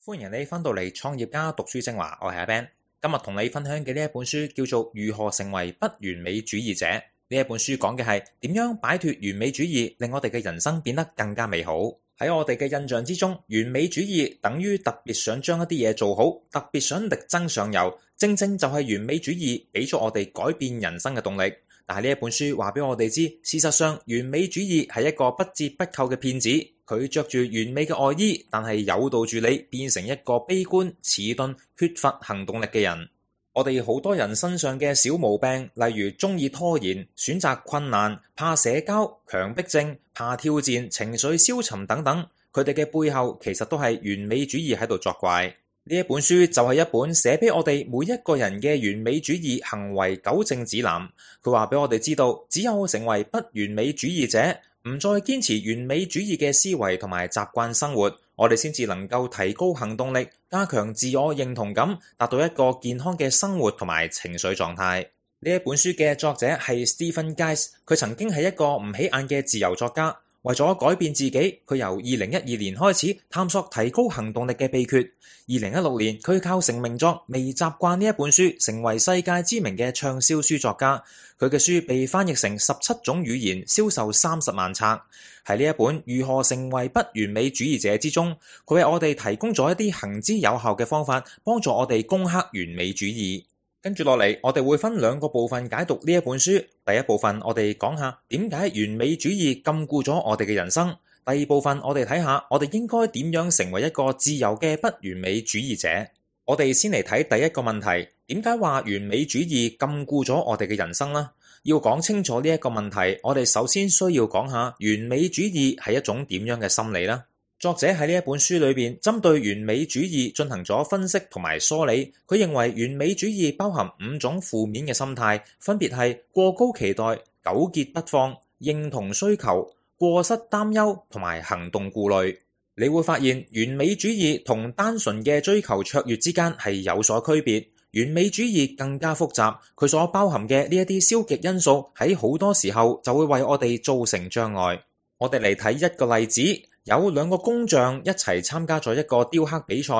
歡迎你返到嚟創業家讀書精華，我係阿 Ben。今日同你分享嘅呢一本書叫做《如何成為不完美主義者》。呢一本書講嘅係點樣擺脫完美主義，令我哋嘅人生變得更加美好。喺我哋嘅印象之中，完美主義等於特別想將一啲嘢做好，特別想力爭上游。正正就係完美主義俾咗我哋改變人生嘅動力。但係呢一本書話俾我哋知，事實上完美主義係一個不折不扣嘅騙子。佢着住完美嘅外衣，但係誘導住你變成一個悲觀、遲鈍、缺乏行動力嘅人。我哋好多人身上嘅小毛病，例如中意拖延、選擇困難、怕社交、強迫症、怕挑戰、情緒消沉等等，佢哋嘅背後其實都係完美主義喺度作怪。呢一本書就係一本寫俾我哋每一個人嘅完美主義行為糾正指南。佢話俾我哋知道，只有成為不完美主義者，唔再堅持完美主義嘅思維同埋習慣生活，我哋先至能夠提高行動力，加強自我認同感，達到一個健康嘅生活同埋情緒狀態。呢一本書嘅作者係 Stephen Guise， 佢曾經係一個唔起眼嘅自由作家。為咗改變自己，佢由2012年開始探索提高行動力嘅秘訣。2016年，佢靠成名作《微習慣》呢一本書，成為世界知名嘅暢銷書作家。佢嘅書被翻譯成17種語言，銷售30萬冊。喺呢一本《如何成為不完美主義者》之中，佢為我哋提供咗一啲行之有效嘅方法，幫助我哋攻克完美主義。跟住落嚟，我哋會分2個部分解讀呢一本書。第一部分，我哋講下點解完美主義禁錮咗我哋嘅人生。第二部分，我哋睇下我哋應該點樣成為一個自由嘅不完美主義者。我哋先嚟睇第一個問題，點解話完美主義禁錮咗我哋嘅人生呢？要講清楚呢一個問題，我哋首先需要講下完美主義係一種點樣嘅心理呢？作者喺呢一本書裏邊，針對完美主義進行咗分析同埋梳理。佢認為完美主義包含5種負面嘅心態，分別係過高期待、糾結不放、認同需求、過失擔憂同埋行動顧慮。你會發現完美主義同單純嘅追求卓越之間係有所區別。完美主義更加複雜，佢所包含嘅呢一啲消極因素喺好多時候就會為我哋造成障礙。我哋嚟睇一個例子。有2個工匠一齊參加咗一個雕刻比賽，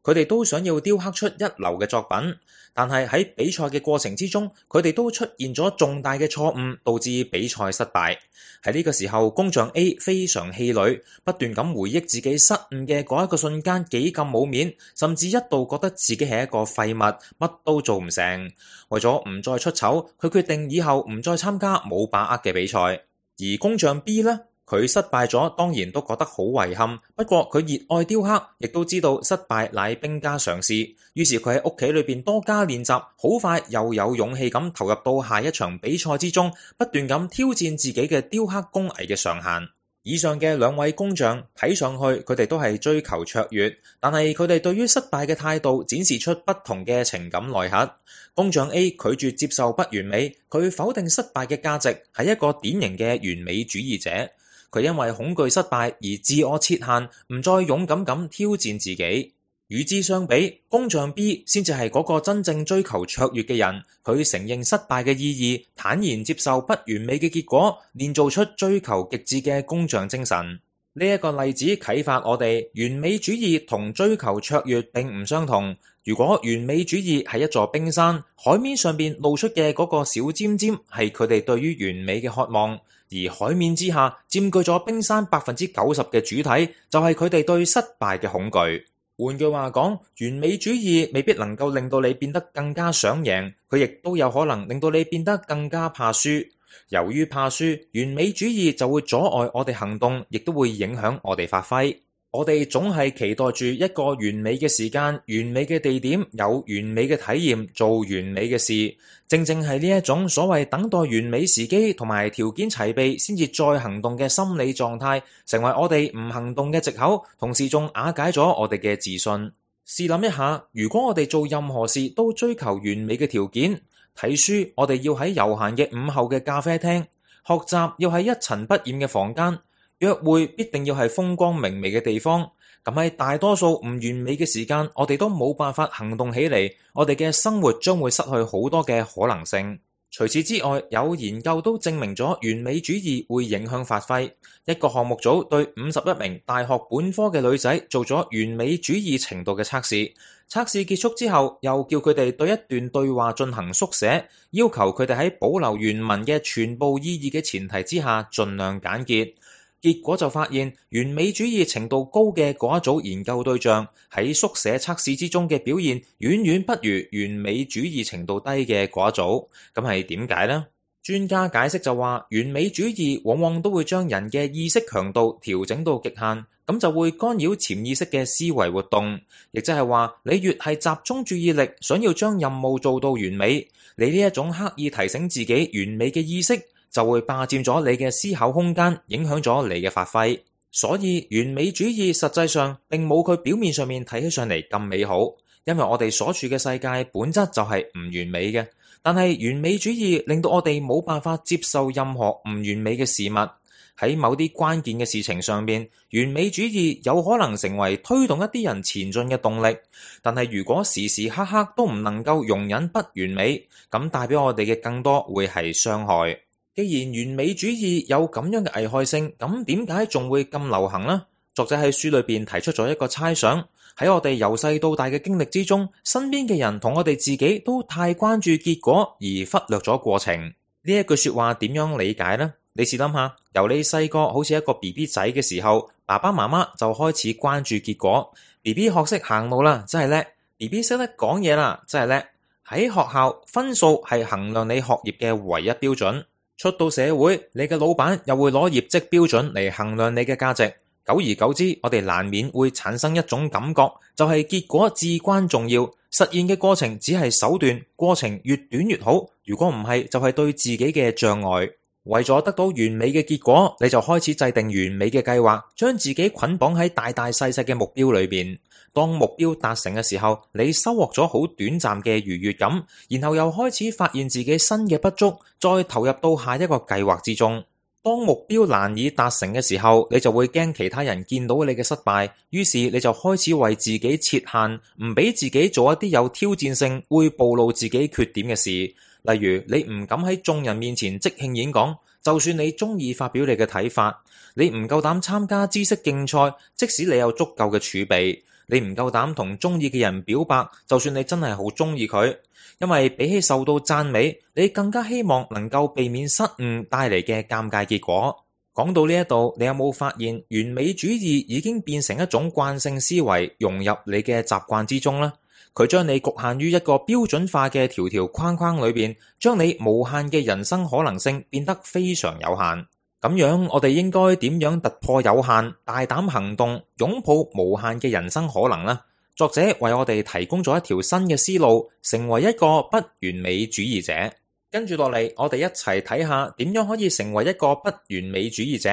佢哋都想要雕刻出一流嘅作品，但係喺比賽嘅過程之中，佢哋都出現咗重大嘅錯誤，導致比賽失敗。喺呢個時候，工匠 A 非常氣餒，不斷咁回憶自己失誤嘅嗰一個瞬間幾咁冇面，甚至一度覺得自己係一個廢物，乜都做唔成。為咗唔再出醜，佢決定以後唔再參加冇把握嘅比賽。而工匠 B 呢？佢失敗咗，當然都覺得好遺憾。不過佢熱愛雕刻，亦都知道失敗乃兵家常事。於是佢喺屋企裏邊多加練習，好快又有勇氣咁投入到下一場比賽之中，不斷咁挑戰自己嘅雕刻工藝嘅上限。以上嘅2位工匠睇上去，佢哋都係追求卓越，但係佢哋對於失敗嘅態度展示出不同嘅情感內核。工匠 A 拒絕接受不完美，佢否定失敗嘅價值，係一個典型嘅完美主義者。佢因為恐懼失敗而自我設限，唔再勇敢咁挑戰自己。與之相比，工匠 B 先至係嗰個真正追求卓越嘅人。佢承認失敗嘅意義，坦然接受不完美嘅結果，練造出追求極致嘅工匠精神。呢一個例子啟發我哋，完美主義同追求卓越並唔相同。如果完美主義係一座冰山，海面上邊露出嘅嗰個小尖尖係佢哋對於完美嘅渴望。而海面之下佔據咗冰山90%嘅主體，就係佢哋對失敗嘅恐懼。換句話講，完美主義未必能夠令到你變得更加想贏，佢亦都有可能令到你變得更加怕輸。由於怕輸，完美主義就會阻礙我哋行動，亦都會影響我哋發揮。我哋總係期待住一個完美嘅時間、完美嘅地點、有完美嘅體驗、做完美嘅事。正正係呢一種所謂等待完美時機同埋條件齊備先至再行動嘅心理狀態，成為我哋唔行動嘅藉口，同時仲瓦解咗我哋嘅自信。試諗一下，如果我哋做任何事都追求完美嘅條件，睇書我哋要喺悠閒嘅午後嘅咖啡廳，學習要喺一塵不染嘅房間，約會必定要係風光明媚嘅地方。咁喺大多數唔完美嘅時間，我哋都冇辦法行動起嚟，我哋嘅生活將會失去好多嘅可能性。除此之外，有研究都證明咗完美主義會影響發揮。一個項目組對51名大學本科嘅女仔做咗完美主義程度嘅測試。測試結束之後，又叫佢哋對一段對話進行縮寫，要求佢哋喺保留原文嘅全部意義嘅前提之下，盡量簡潔。結果就發現，完美主義程度高嘅嗰一組研究對象喺縮寫測試之中嘅表現，遠遠不如完美主義程度低嘅嗰一組。咁係點解呢？專家解釋就話，完美主義往往都會將人嘅意識強度調整到極限，咁就會干擾潛意識嘅思維活動。亦即係話，你越係集中注意力，想要將任務做到完美，你呢一種刻意提醒自己完美嘅意識，就會霸佔咗你嘅思考空間，影響咗你嘅發揮。所以完美主義實際上並冇佢表面上面睇起上嚟咁美好，因為我哋所處嘅世界本質就係唔完美嘅。但係完美主義令到我哋冇辦法接受任何唔完美嘅事物。喺某啲關鍵嘅事情上面，完美主義有可能成為推動一啲人前進嘅動力。但係如果時時刻刻都唔能夠容忍不完美，咁帶俾我哋嘅更多會係傷害。既然完美主義有咁樣嘅危害性，咁點解仲會咁流行呢？作者喺書裏邊提出咗一個猜想，喺我哋由細到大嘅經歷之中，身邊嘅人同我哋自己都太關注結果而忽略咗過程。呢一句說話點樣理解呢？你試諗下，由你細個好似一個 BB 仔嘅時候，爸爸媽媽就開始關注結果。BB 學識行路啦，真係叻；BB 識得講嘢啦，真係叻。喺學校，分數係衡量你學業嘅唯一標準。出到社會，你嘅老闆又會攞業績標準嚟衡量你嘅價值。久而久之，我哋難免會產生一種感覺，就係結果至關重要，實現嘅過程只係手段，過程越短越好。如果唔係，就係對自己嘅障礙。為咗得到完美嘅結果，你就開始制定完美嘅計劃，將自己捆綁喺大大細細嘅目標裏邊。當目標達成嘅時候，你收穫咗好短暫嘅愉悅感，然後又開始發現自己新嘅不足，再投入到下一個計劃之中。當目標難以達成嘅時候，你就會驚其他人見到你嘅失敗，於是你就開始為自己設限，唔俾自己做一啲有挑戰性、會暴露自己缺點嘅事。例如，你唔敢喺眾人面前即興演講，就算你中意發表你嘅睇法；你唔夠膽參加知識競賽，即使你有足夠嘅儲備；你唔夠膽同中意嘅人表白，就算你真係好中意佢。因為比起受到讚美，你更加希望能夠避免失誤帶嚟嘅尷尬結果。講到呢一度，你有冇發現完美主義已經變成一種慣性思維，融入你嘅習慣之中呢？佢將你局限於一個標準化嘅條條框框裏邊，將你無限嘅人生可能性變得非常有限。咁樣我哋應該點樣突破有限，大膽行動，擁抱無限嘅人生可能呢？作者為我哋提供咗一條新嘅思路，成為一個不完美主義者。跟住落嚟，我哋一齊睇下點樣可以成為一個不完美主義者。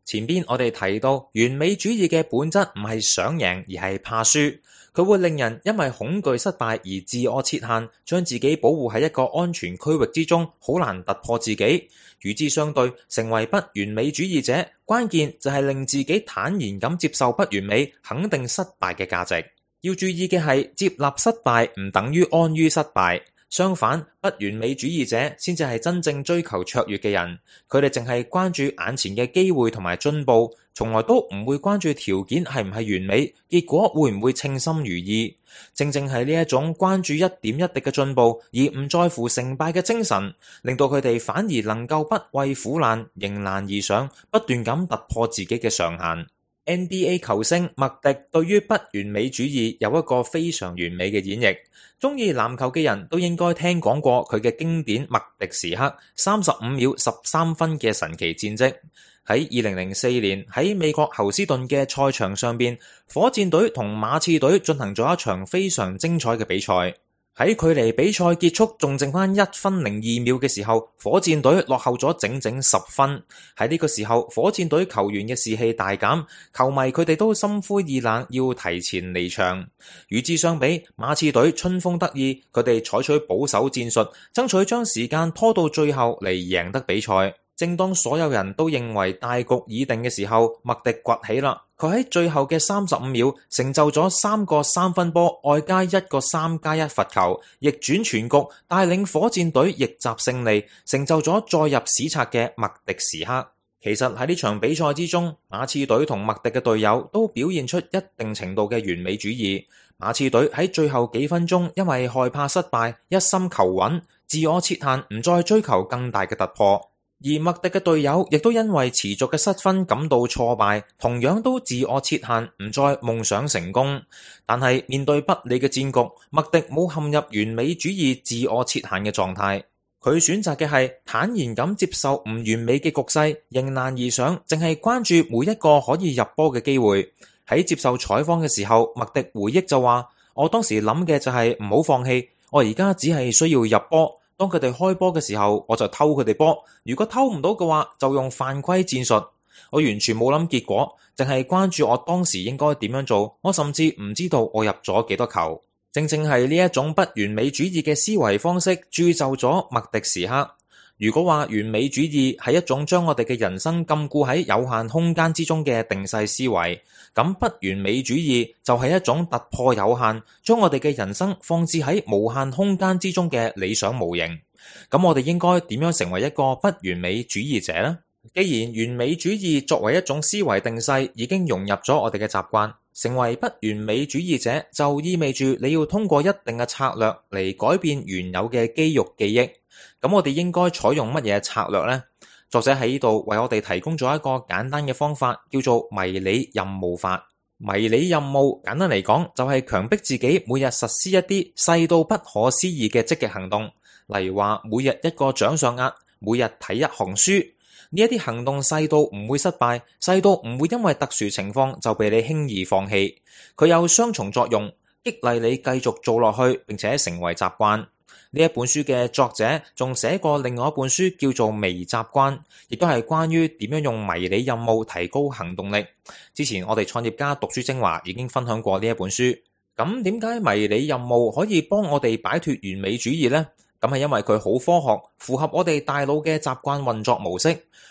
前邊我哋提到，完美主義嘅本質唔係想贏，而係怕輸。佢會令人因為恐懼失敗而自我設限，將自己保護喺一個安全區域之中，好難突破自己。與之相對，成為不完美主義者，關鍵就係令自己坦然咁接受不完美，肯定失敗嘅價值。要注意嘅係，接納失敗唔等於安於失敗。相反，不完美主義者先至係真正追求卓越嘅人，佢哋淨係關注眼前嘅機會同埋進步，從來都唔會關注條件係唔係完美，結果會唔會稱心如意。正正係呢一種關注一點一滴嘅進步，而唔在乎成敗嘅精神，令到佢哋反而能夠不畏苦難，迎難而上，不斷咁突破自己嘅上限。NBA 球星麥迪對於不完美主義有一個非常完美嘅演繹，中意籃球嘅人都應該聽講過佢嘅經典麥迪時刻35秒13分嘅神奇戰績。喺2004年喺美國侯斯頓嘅賽場上邊，火箭隊同馬刺隊進行咗一場非常精彩嘅比賽。喺距離比賽結束仲剩翻1分02秒嘅時候，火箭隊落後咗整整10分。喺呢個時候，火箭隊球員嘅士氣大減，球迷佢哋都心灰意冷，要提前離場。與之相比，馬刺隊春風得意，佢哋採取保守戰術，爭取將時間拖到最後嚟贏得比賽。正當所有人都認為大局已定嘅時候，麥迪崛起啦。佢喺最後嘅35秒成就咗3個三分波，外加1個3+1罰球，逆轉全局，帶領火箭隊逆襲勝利，成就咗載入史冊嘅麥迪時刻。其實喺呢場比賽之中，馬刺隊同麥迪嘅隊友都表現出一定程度嘅完美主義。馬刺隊喺最後幾分鐘因為害怕失敗，一心求穩，自我設限，唔再追求更大嘅突破。而麥迪嘅隊友亦都因為持續嘅失分感到挫敗，同樣都自我設限，唔再夢想成功。但係面對不利嘅戰局，麥迪冇陷入完美主義自我設限嘅狀態，佢選擇嘅係坦然咁接受唔完美嘅局勢，迎難而上，淨係關注每一個可以入波嘅機會。喺接受採訪嘅時候，麥迪回憶就話：我當時諗嘅就係唔好放棄，我而家只係需要入波。當佢哋開波嘅時候，我就偷佢哋波。如果偷唔到嘅話，就用犯規戰術。我完全冇諗結果，淨係關注我當時應該點樣做。我甚至唔知道我入咗幾多球。正正係呢一種不完美主義嘅思維方式，鑄就咗麥迪時刻。如果話完美主義係一種將我哋嘅人生禁錮喺有限空間之中嘅定勢思維，咁不完美主義就係一種突破有限，將我哋嘅人生放置喺無限空間之中嘅理想模型。咁我哋應該點樣成為一個不完美主義者呢？既然完美主義作為一種思維定勢已經融入咗我哋嘅習慣，成為不完美主義者就意味住你要通過一定嘅策略嚟改變原有嘅肌肉記憶。咁我哋應該採用乜嘢策略呢？作者喺呢度為我哋提供咗一個簡單嘅方法，叫做迷你任務法。迷你任務簡單嚟講，就係強迫自己每日實施一啲細到不可思議嘅積極行動，例如話每日一個掌上壓，每日睇一行書。呢一啲行動細到唔會失敗，細到唔會因為特殊情況就被你輕易放棄。佢有雙重作用，激勵你繼續做落去，並且成為習慣。呢一本書嘅作者仲寫過另外一本書叫做《微習慣》，亦都係關於點樣用迷你任務提高行動力。之前我哋創業家讀書精華已經分享過呢一本書。咁點解迷你任務可以幫我哋擺脫完美主義呢？咁係因為佢好科學，符合我哋大腦嘅習慣運作模式。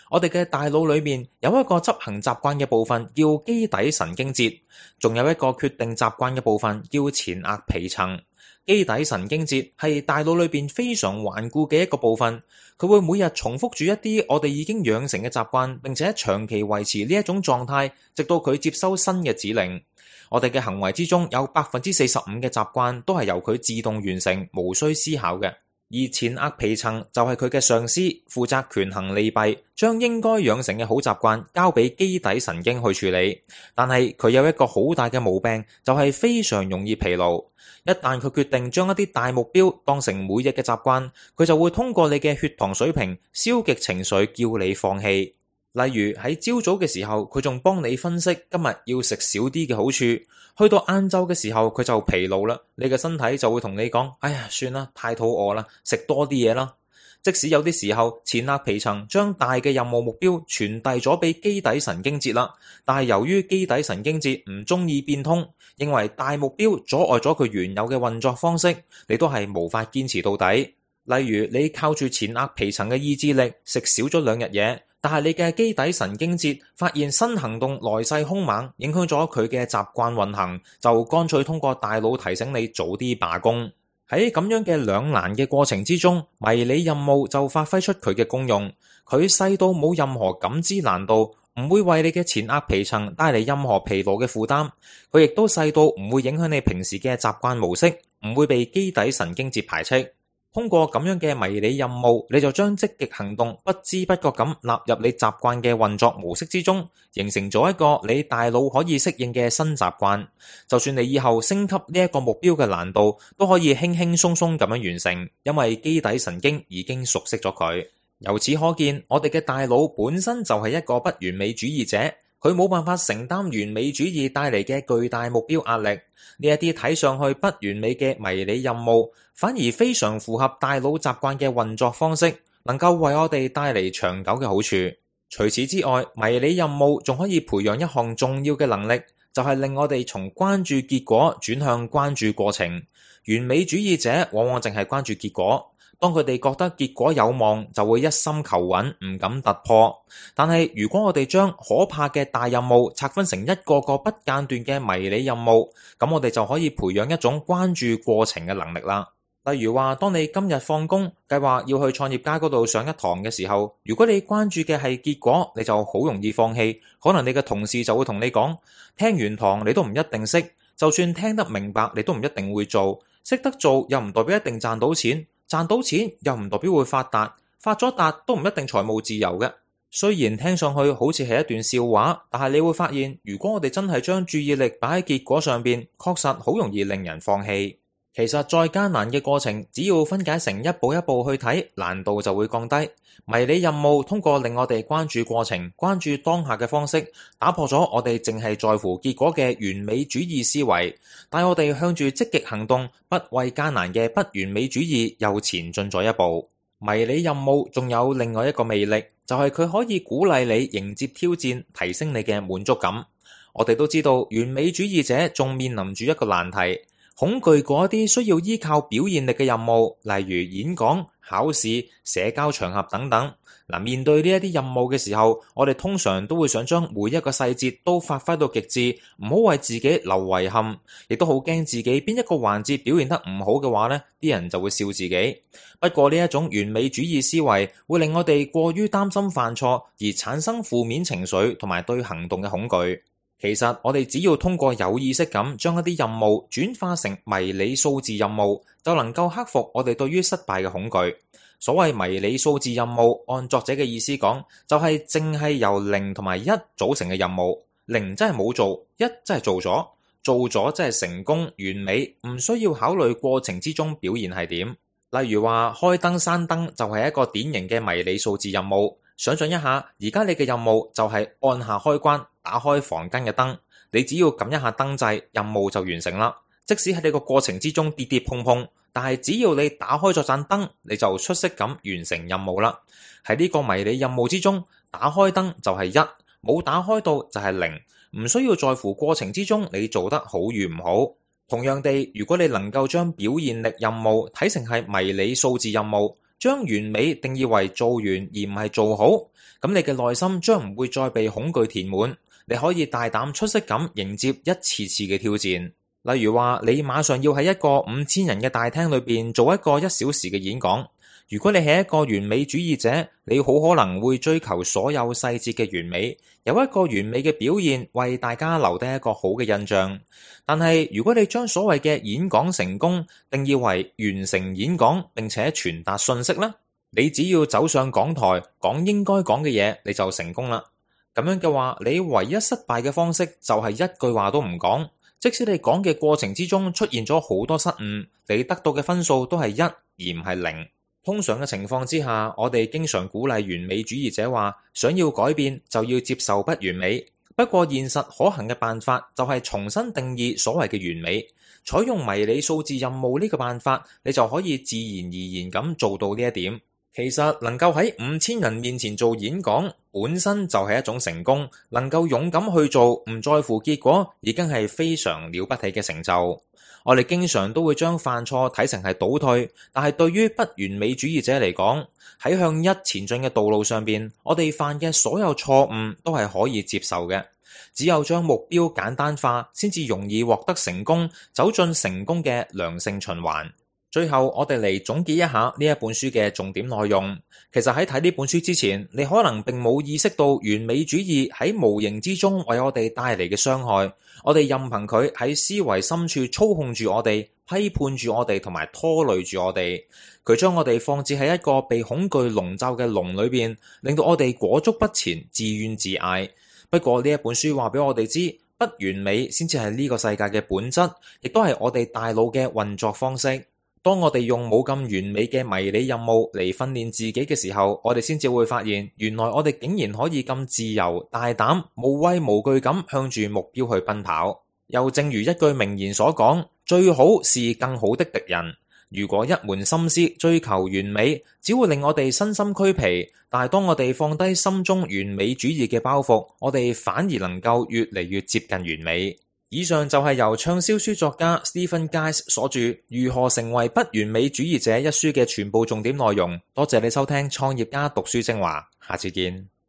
我哋嘅大腦裏面有一個執行習慣嘅部分叫基底神經節，仲有一個決定習慣嘅部分叫前額皮層。基底神經節係大腦裏邊非常頑固嘅一個部分，佢會每日重複住一啲我哋已經養成嘅習慣，並且長期維持呢一種狀態，直到佢接收新嘅指令。我哋嘅行為之中有45%嘅習慣都係由佢自動完成，無需思考嘅。而前額皮層就係佢嘅上司，負責權衡利弊，將應該養成嘅好習慣交俾基底神經去處理。但係佢有一個好大嘅毛病，就係非常容易疲勞。一旦佢決定將一啲大目標當成每日嘅習慣，佢就會通過你嘅血糖水平、消極情緒叫你放棄。例如喺朝早嘅時候，佢仲幫你分析今日要食少啲嘅好處，去到晏晝嘅時候佢就疲勞啦，你嘅身體就會同你講：哎呀，算啦，太肚餓啦，食多啲嘢啦。即使有啲時候前額皮層將大嘅任務目標傳遞咗俾基底神經節啦，但係由於基底神經節唔中意變通，認為大目標阻礙咗佢原有嘅運作方式，你都係無法堅持到底。例如你靠住前額皮層嘅意志力食少咗2日嘢，但係你嘅基底神經節發現新行動來勢兇猛，影響咗佢嘅習慣運行，就乾脆通過大腦提醒你早啲罷工。喺咁樣嘅兩難嘅過程之中，迷你任務就發揮出佢嘅功用。佢細到冇任何感知難度，唔會為你嘅前額皮層帶嚟任何疲勞嘅負擔。佢亦都細到唔會影響你平時嘅習慣模式，唔會被基底神經節排斥。通過咁樣嘅迷你任務，你就將積極行動不知不覺咁納入你習慣嘅運作模式之中，形成咗一個你大腦可以適應嘅新習慣。就算你以後升級呢一個目標嘅難度，都可以輕輕鬆鬆咁樣完成，因為基底神經已經熟悉咗佢。由此可見，我哋嘅大腦本身就係一個不完美主義者，佢冇辦法承擔完美主義帶嚟嘅巨大目標壓力。呢一啲睇上去不完美嘅迷你任務，反而非常符合大腦習慣嘅運作方式，能夠為我哋帶嚟長久嘅好處。除此之外，迷你任務仲可以培養一項重要嘅能力，就係令我哋從關注結果轉向關注過程。完美主義者往往淨係關注結果，當佢哋覺得結果有望，就會一心求穩，唔敢突破。但係如果我哋將可怕嘅大任務拆分成一個個不間斷嘅迷你任務，咁我哋就可以培養一種關注過程嘅能力啦。例如話，當你今日放工計劃要去創業家嗰度上一堂嘅時候，如果你關注嘅係結果，你就好容易放棄。可能你嘅同事就會同你講，聽完堂你都唔一定識，就算聽得明白，你都唔一定會做。識得做又唔代表一定賺到錢，賺到錢又唔代表會發達，發咗達都唔一定財務自由嘅。雖然聽上去好似係一段笑話，但係你會發現，如果我哋真係將注意力擺喺結果上邊，確實好容易令人放棄。其實再艱難嘅過程，只要分解成一步一步去睇，難度就會降低。迷你任務通過令我哋關注過程、關注當下嘅方式，打破咗我哋淨係在乎結果嘅完美主義思維，帶我哋向住積極行動、不畏艱難嘅不完美主義又前進咗一步。迷你任務仲有另外一個魅力，就係佢可以鼓勵你迎接挑戰，提升你嘅滿足感。我哋都知道，完美主義者仲面臨住一個難題。恐懼嗰啲需要依靠表現力嘅任務，例如演講、考試、社交場合等等。面對呢一啲任務嘅時候，我哋通常都會想將每一個細節都發揮到極致，唔好為自己留遺憾，亦都好驚自己邊一個環節表現得唔好嘅話呢，啲人就會笑自己。不過呢一種完美主義思維會令我哋過於擔心犯錯，而產生負面情緒同埋對行動嘅恐懼。其實我哋只要通過有意識咁將一啲任務轉化成迷你數字任務，就能夠克服我哋對於失敗嘅恐懼。所謂迷你數字任務，按作者嘅意思講，就係淨係由0同埋1組成嘅任務。0真係冇做，1真係做咗，做咗真係成功完美，唔需要考慮過程之中表現係點。例如話開燈閂燈就係一個典型嘅迷你數字任務。想象一下，而家你嘅任務就係按下開關，打開房間嘅燈，你只要撳一下燈掣，任務就完成啦。即使喺你個過程之中跌跌碰碰，但係只要你打開咗盞燈，你就出色咁完成任務啦。喺呢個迷你任務之中，打開燈就係1，冇打開到就係0，唔需要在乎過程之中你做得好與唔好。同樣地，如果你能夠將表現力任務睇成係迷你數字任務，將完美定義為做完而唔係做好，咁你嘅內心將唔會再被恐懼填滿，你可以大膽出色咁迎接一次次嘅挑戰。例如話，你馬上要喺一個5000人嘅大廳裏邊做一個1小時嘅演講。如果你係一個完美主義者，你好可能會追求所有細節嘅完美，有一個完美嘅表現為大家留低一個好嘅印象。但係如果你將所謂嘅演講成功定義為完成演講並且傳達信息啦，你只要走上講台講應該講嘅嘢，你就成功啦。咁樣嘅話，你唯一失敗嘅方式就係一句話都唔講。即使你講嘅過程之中出現咗好多失誤，你得到嘅分數都係1而唔係0。通常嘅情況之下，我哋經常鼓勵完美主義者話，想要改變就要接受不完美。不過現實可行嘅辦法就係重新定義所謂嘅完美，採用迷你數字任務呢個辦法，你就可以自然而然咁做到呢一點。其實能夠喺5000人面前做演講，本身就係一種成功。能夠勇敢去做，唔在乎結果，已經係非常了不起嘅成就。我哋經常都會將犯錯睇成係倒退，但係對於不完美主義者嚟講，喺向1前進嘅道路上邊，我哋犯嘅所有錯誤都係可以接受嘅。只有將目標簡單化，先至容易獲得成功，走進成功嘅良性循環。最後，我哋嚟總結一下呢一本書嘅重點內容。其實喺睇呢本書之前，你可能並冇意識到完美主義喺無形之中為我哋帶嚟嘅傷害。我哋任憑佢喺思維深處操控住我哋，批判住我哋，同埋拖累住我哋。佢將我哋放置喺一個被恐懼籠罩嘅籠裏邊，令到我哋裹足不前，自怨自艾。不過呢一本書話俾我哋知，不完美先至係呢個世界嘅本質，亦都係我哋大腦嘅運作方式。當我哋用冇咁完美嘅迷你任務嚟訓練自己嘅時候，我哋先至會發現，原來我哋竟然可以咁自由、大膽、無畏無懼咁向住目標去奔跑。又正如一句名言所講，最好是更好的敵人。如果一門心思追求完美，只會令我哋身心俱疲。但係當我哋放低心中完美主義嘅包袱，我哋反而能夠越嚟越接近完美。以上就係由暢銷書作家 Stephen Guise 所著《如何成為不完美主義者》一書嘅全部重點內容。多謝你收聽創業家讀書精華，下次見。